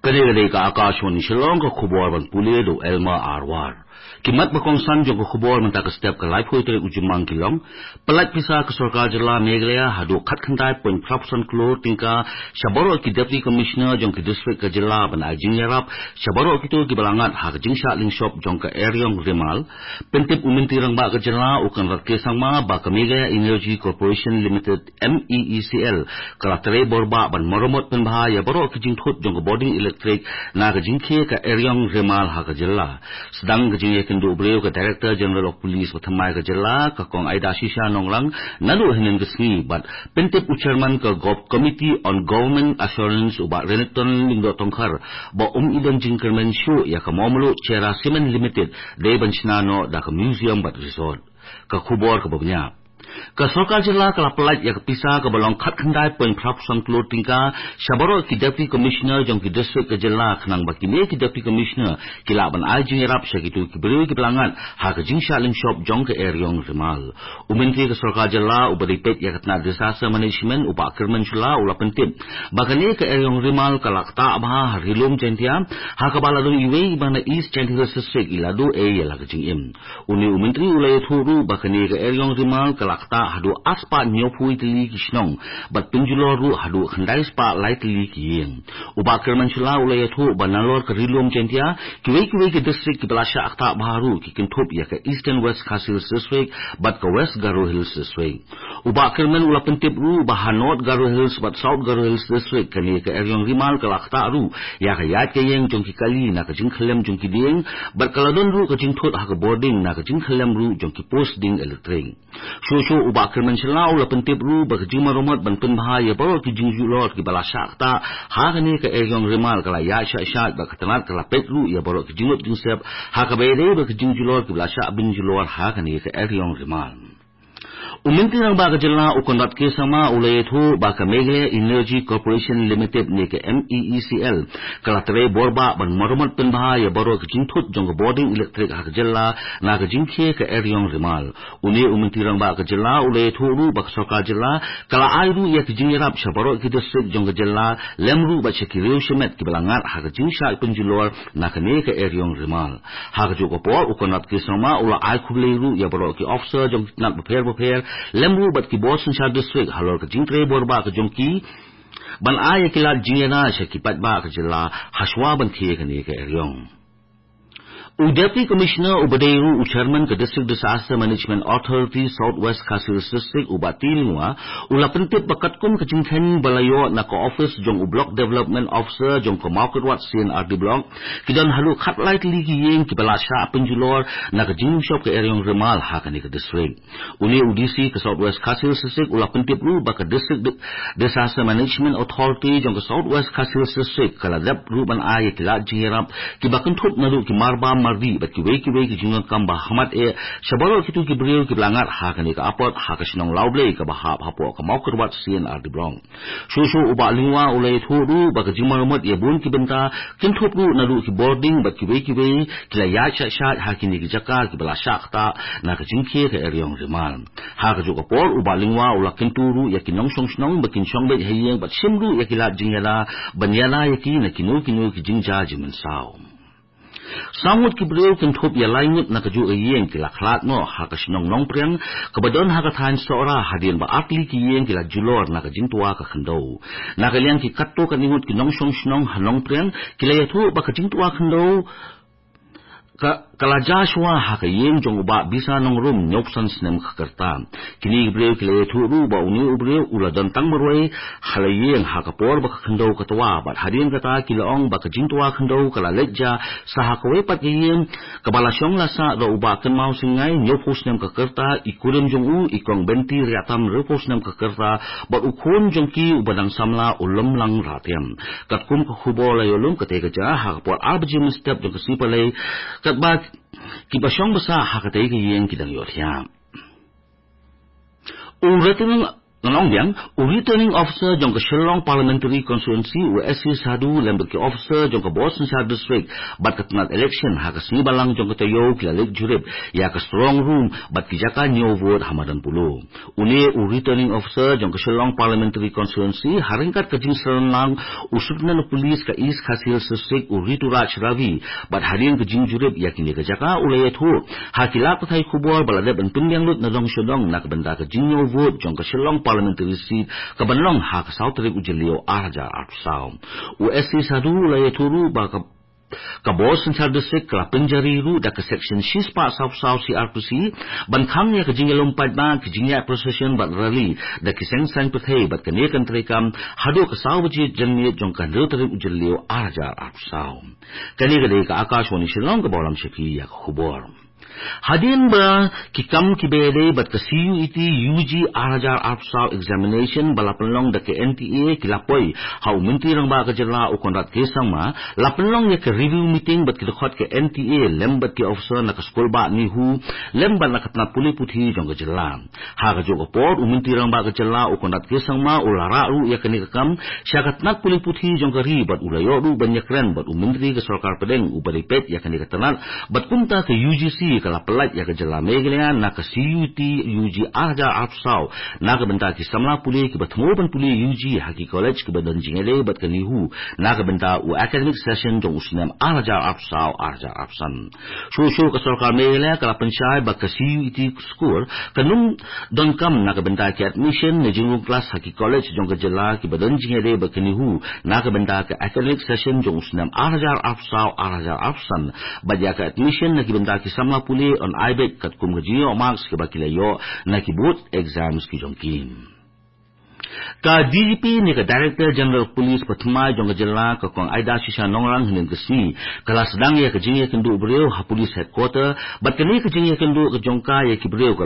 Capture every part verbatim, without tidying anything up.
Kane ka dei ka Akashvani Shillong, ka khubor ban pule da u Elma Arwar. Ki mat ba kongsan jong ka khubor mynta ka step ka laiphew tarik u Jymmang ki long: Pyllait pisa ka sorkar jylla Meghalaya haduh khatkhyndai point phra phew san klur tyngka sha baroh ki Deputy Commissioner jong ki district ka jylla ban ai jingïarap sha baroh kito kiba la ngat ha ka jingshah lyngshop jong ka eriong rimal. Pyntip u Myntri Rangbah ka jylla u Conrad K Sangma ba ka Meghalaya Energy Corporation Limited, M E E C L, ka la trei bor bah ban maramot pynbha ïa baroh ki jingthut jong ka bording elektrik na ka jingkhie ka eriong rimal ha ka jylla. Sdang ka jingïakynduh briew ka Director General of Police ba thymmai ka jylla, ka Kong Aida Shisha Nongrang, naduh hynnin ka sngi, bad pyntip u Chairman ka Gov-, Committee on Government Assurance, u Bah Renikton Lyngdoh Tongkhar, ba um i don jingkyrmen shuh ïa ka Mawmluh Cherra Cement Limited dei ban shna noh da ka museum bad resort. Ka khubor kaba bniah. Ka sorkar jylla ka la pyllait ïa ka pisa kaba long khatkhyndai point phra phew san klur tyngka sha baroh ki Deputy Commissioner jong ki district ka jylla, khnang ba kine ki Deputy Commissioner ki lah ban ai jingïarap sha kito ki briew kiba la ngat ha ka jingshah lyngshop jong ka eriong rimal. U Myntri ka sorkar jylla uba dei peit ïa ka tnat Disaster Management, u Bah Kyrmen Shylla, u la pyntip ba kane ka eriong rimal ka la ktah bha ha Ri Lum Jaiñtia, ha kaba la don iwei iba na East Jaintia Hills District i la duh ei ïa la ka jingim. Une u Myntri u la ïathuh ruh ba kane ka eriong rimal ka la ktah haduh arspah hynñiewphew tylli ki shnong, bad pynjulor ruh haduh khyndai spah lai tylli ki ïing. U Bah Kyrmen Shylla u la ïathuh ba nalor ka Ri Lum Jaiñtia, kiwei kiwei ki district kiba la shah ktah bha ruh ki kynthup ïa ka Eastern West Khasi Hills District bad ka West Garo Hills District. U Bah Kyrmen u la pyntip ruh ba ha North Garo Hills bad South Garo Hills District, kane ka eriong rimal ka la ktah ruh ïa ka ïaid ka ïeng jong ki kali na ka jingkhyllem jong ki dieng, bad ka la don ruh ka jingthut ha ka bording na ka jingkhyllem ruh jong ki post ding elektrik. Shuh shuh u Bah Kyrmen Shylla u la pyntip ruh ba ka jingmaramot ban pynbha ïa baroh ki jingjulor kiba la shah ktah ha kane ka eriong rimal ka la ïaid shah shah, bad ka tnat ka la peit ruh ïa baroh ki jingmut jingsep ha kaba ïadei bad ki jingjulor kiba la shah pynjulor ha kane ka eriong rimal. U Myntri Rangbah ka jylla u Conrad K Sangma u la ïathuh ba ka Meghalaya Energy Corporation Limited ne ka M E E C L ka la trei bor bah ban maramot pynbha ïa baroh ki jingthut jong ka bording elektrik ha ka jylla na ka jingkhie ka eriong rimal. Une u Myntri Rangbah ka jylla u la ïathuh ruh ba ka sorkar jylla ka la ai ruh ïa ki jingïarap sha baroh ki district jong ka jylla, lem ruh bad sha ki riew shimet kiba la ngat ha ka jingshah pynjulor na kane ka eriong rimal. Ha kajuh ka por u Conrad K Sangma u la ai khublei ruh ïa baroh ki officer jong ki tnat bapher bapher, lem ruh bad ki bor synshar district halor ka jingtrei bor bah ka jong ki ban ai ïa ki lad jingïada sha ki paidbah ka jylla hashwa ban khie kane ka eriong. U Deputy Commissioner uba dei ruh u Chairman ka District Disaster Management Authority South West Khasi Hills District, u Bah T Lyngwa, u la pyntip ba katkum ka jingkheiñ ba la ïoh na ka office jong u Block Development Officer jong ka Mawkyrwat C and R D Block, ki don haduh khatlai tylli ki ïing kiba la shah pynjulor na ka jingshop ka eriong rimal ha kane ka district. Une u D C ka South West Khasi Hills District u la pyntip ruh ba ka District Di-, Disaster Management Authority jong ka South West Khasi Hills District ka la dep ruh ban ai ïa ki lad jingïarap kiba kynthup naduh ki marbam mardih bad kiwei kiwei ki jingdonkam ba hakhmat eh sha baroh kito ki briew kiba la ngat ha kane ka apot ha ka shnong Lawblei kaba hap hapoh ka Mawkyrwat C and R D Block. Shuh shuh u Bah Lyngwa u la ïathuh ruh ba ka jingmaramot ïa bun ki bynta, kynthup ruh naduh ki bording bad kiwei kiwei, ki la ïaid shah shah ha kine ki jaka kiba la shah ktah na ka jingkhie ka eriong rimal. Ha kajuh ka por u Bah Lyngwa u la kyntu ruh ïa ki nongshong shnong ba kin shong beit ha ïing bad shim ruh ïa ki lad jingïada ban ïada ïa ki na kino kino ki jingjia jingmynsaw. Saw ngut ki briew kynthup ïa lai ngut na kajuh ka ïing ki la khlad noh ha ka shnong Nongpriang kaba don ha ka thaiñ Sohra, hadien ba artylli ki ïing ki la julor na ka jingtwa ka khyndew. Na ka liang ki katto katne ngut ki nongshong shnong ha Nongpriang ki la ïathuh ba ka jingtwa khyndew ka, ka la jia shuwa ha ka ïing jong u Bah Bisa Nongrum, hynñiewphew san snem ka rta. Kine ki briew ki la ïathuh ruh ba une u briew u la don tang marwei ha la ïing ha ka por ba ka khyndew ka twa, bad hadien kata ki la ong ba ka jingtwa khyndew ka la leit jia sa ha kawei pat ka ïing kaba la shong la sah da u Bah Kynmaw Syngai, hynñiewphew snem ka rta, i kurim jong u i Kong Benti Riahtam, hynriewphew snem ka rta, bad u khun jong ki uba dang samla u Lymlang Rahtiam. Katkum ka khubor la ïoh lum, katei ka jia ha ka por ar baje mynstep jong ka sngi Palei, katba kiba shong ba sah ha katei ka ïing ki dang ïohthiah. U Rtnm Nongbiang, u Returning Officer jong ka Shillong Parliamentary Constituency, u S C Sadhu, lem bad ki officer jong ka Bor Synshar District bad ka tnat election ha ka sngi Balang jong ka taïew ki la leit jurip ïa ka strong room bad ki jaka ñiew vote ha madan Polo. Une u Returning Officer jong ka Shillong Parliamentary Constituency, ha ryngkat ka jingsynran lang u Superintendent of Police ka East Khasi Hills District, u Rituraj Ravi, bad hadien ka jingjurip ïa kine ka jaka, u la ïathuh ha ki lad pathai khubor ba la dep ban pynbiang lut na dong sha dong na ka bynta ka jingñiew vote jong ka Shillong Parliamentary Seat ka ban long ha ka saw tarik u Jylliew ar hajar arphew saw. U S C Sadhu u la ïathuh ruh ba ka ka Bor Synshar District ka la pynjari ruh da ka Section shispah sawphew saw C R P C ban khang ïa ka jingïalum paidbah, ka jingïaid procession bad rally da ki seng saiñ pyrthei bad kane kan treikam haduh ka saw baje janmiet jong ka hynriew tarik u Jylliew ar hajar arphew saw. Kane ka dei ka Akashvani Shillong kaba lam sha phi ïa ka khubor. Hadien ba ki kam kiba ïadei bad ka C U E T U G ar hajar arphew saw examination ba la pynlong da ka N T A ki la poi ha u Myntri Rangbah ka Jylla u Conrad K Sangma, la pynlong ïa ka review meeting bad ki dkhot ka N T A lem bad ki officer na ka skulbah NEHU lem bad na ka tnat pule puthi jong ka jylla. Ha kajuh ka por, u Myntri Rangbah ka Jylla u Conrad K Sangma u la rah ruh ïa kane ka kam sha ka tnat pule puthi jong ka ri bad u la ïoh ruh ban ïakren bad u Myntri ka Sorkar Pdeng uba dei peit ïa kane ka tnat, bad kumta ka U G C ka la pyllait ïa ka Jylla Meghalaya na ka C U E T U G ar hajar arphew saw na ka bynta ki samla pule kiba thmu ban pule U G ha ki college kiba don jingïadei bad ka NEHU na ka bynta u academic session jong u snem ar hajar arphew saw ar hajar arphew san. Shuh shuh ka Sorkar Meghalaya ka la pynshai ba ka C U E T score kan ym donkam na ka bynta ki admission ne jingrung klas ha ki college jong ka jylla kiba don jingïadei bad ka NEHU na ka bynta ka academic session jong u snem ar hajar arphew saw ar hajar arphew san, bad ïa ka admission na ki bynta ki samla pule yn ai beit katkum ka jingïoh marks kiba ki la ïoh na ki board exams ki jong ki. Ka D G P ne ka Director General Police ba thymmai jong ka jylla, ka Kong Aida Shisha Nongrang, hynnin ka sngi ka la sdang ïa ka jingïakynduh briew ha Police Headquarter, bad kane ka jingïakynduh ka jong ka ïa ki briew ka,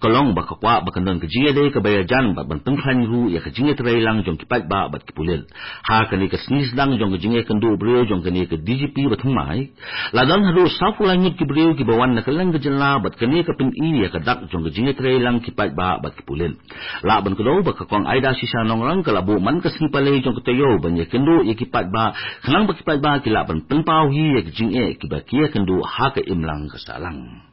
ka long ba ka kwah ba kan don ka jingïadei kaba ïajan bad ban pynkhlaiñ ruh ïa ka jingïatreilang jong ki paidbah bad ki pulit. Ha kane ka sngi sdang jong ka jingïakynduh briew jong kane ka D G P ba thymmai, la don haduh sawphew lai ngut ki briew kiba wan na kylleng ka jylla bad kane ka pyni ïa ka dak jong ka jingïatreilang ki paidbah bad ki pulit. Lah ban kdew ba ka Kong Aida Shisha Nongrang ka la buh man ka sngi palei jong ka taïew ban ïakynduh ïa ki paidbah, khnang ba ki paidbah ki lah ban pynpaw hi ïa ki jingeh kiba ki ïakynduh ha ka imlang ka sahlang.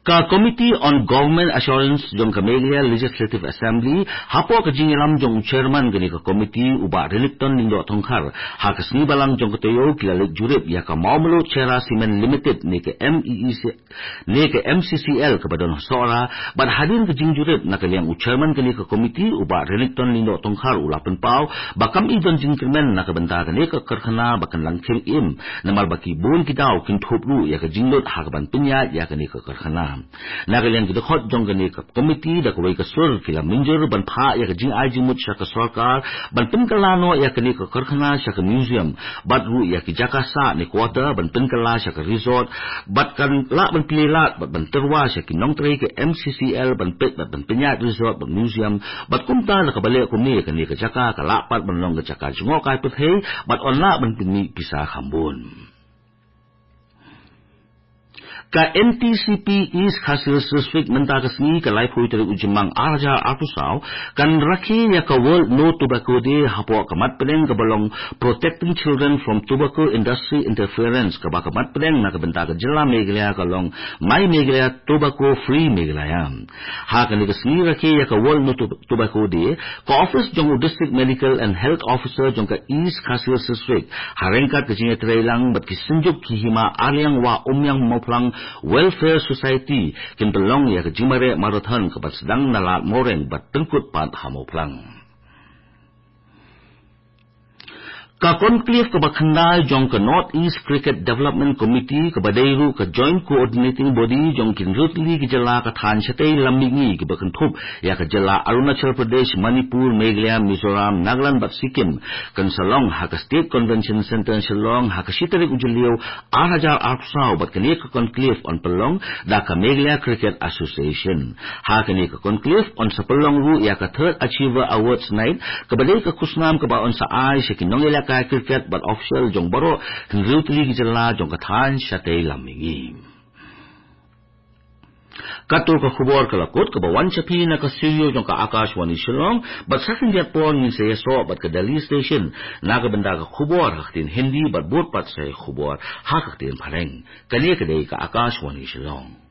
Ka Committee on Government Assurance jong ka Meghalaya Legislative Assembly, hapoh ka jingïalam jong u Chairman kane ka committee, u Bah Relikton Lyngdoh Tongkhar, ha ka sngi Balang jong ka taïew ki la leit jurip ïa ka Mawmluh Cherra Cement Limited ne ka M E E C ne ka M C C L kaba don ha Sohra, bad hadien ka jingjurip na ka liang u Chairman kane ka committee, u Bah Relikton Lyngdoh Tongkhar, u la pynpaw ba kam i don jingkyrmen na ka bynta kane ka karkhana ba kan langkhim im, namar ba ki bun ki daw kin thup ruh ïa ka jinglut ha kaban pynïaid ïa kane ka karkhana. Na ka liang ki dkhot jong kane ka committee da kawei ka sur ki la mynjur ban phah ïa ka jingai jingmut sha ka sorkar ban pynkylla noh ïa kane ka karkhana sha ka museum, bad ruh ïa ki jaka sah ne quarter ban pynkylla sha ka resort, bad kan lah ban plie lad bad ban tyrwa sha ki nongtrei ka M C C L ban peit bad ban pynïaid resort bad museum, bad kumta da kaba leh kumne kane ka jaka ka lah pat ban long ka jaka jngohkai pyrthei bad yn lah ban pynmih pisa kham bun. Ka N T C P East Khasi Hills District mynta ka sngi ka laiphew tarik u Jymmang ar hajar arphew saw kan rakhe ïa ka World No Tobacco Day hapoh ka mat pdeng kaba long Protecting Children from Tobacco Industry Interference, kaba ka mat pdeng na ka bynta ka jylla Meghalaya ka long My Meghalaya Tobacco Free Meghalaya. Ha kane ka sngi rakhe ïa ka World No Tob-, Tobacco Day, ka office jong u District Medical and Health Officer jong ka East Khasi Hills District, ha ryngkat ka jingïatreilang bad ki synjuk ki hima Arliang Wah Umïang Mawphlang Welfare Society, kin pynlong ïa ka jingmareh marathon kaba sdang na Lad Mawreng bad pynkut pat ha Mawphlang. Ka conclave kaba khyndai jong ka North East Cricket Development Committee, kaba dei ruh ka Joint Coordinating Body jong ki hynriew tylli ki jylla ka thaiñ shatei lam mihngi kiba kynthup ïa ka jylla Arunachal Pradesh, Manipur, Meghalaya, Mizoram, Nagaland bad Sikkim, kan sa long ha ka State Convention Centre Shillong ha ka shi tarik u Jylliew ar hajar arphew saw, bad kane ka conclave yn pynlong da ka Meghalaya Cricket Association. Ha kane ka conclave yn sa pynlong ruh ïa ka Third Achiever Awards Night, kaba dei ka khusnam kaba yn sa ai sha ki nongïalehkai cricket bad official jong baroh hynriew tylli ki jylla jong ka thaiñ shatei lam mihngi. Kato ka khubor ka la kut kaba wan sha phi na ka studio jong ka Akashvani Shillong, bad sa khyndiat por ngin sa ïasoh bad ka Delhi Station na ka bynta ka khubor ha ka ktien Hindi bad bud pat sa ïa ka khubor ha ka ktien Phareng. Kane ka dei ka Akashvani Shillong.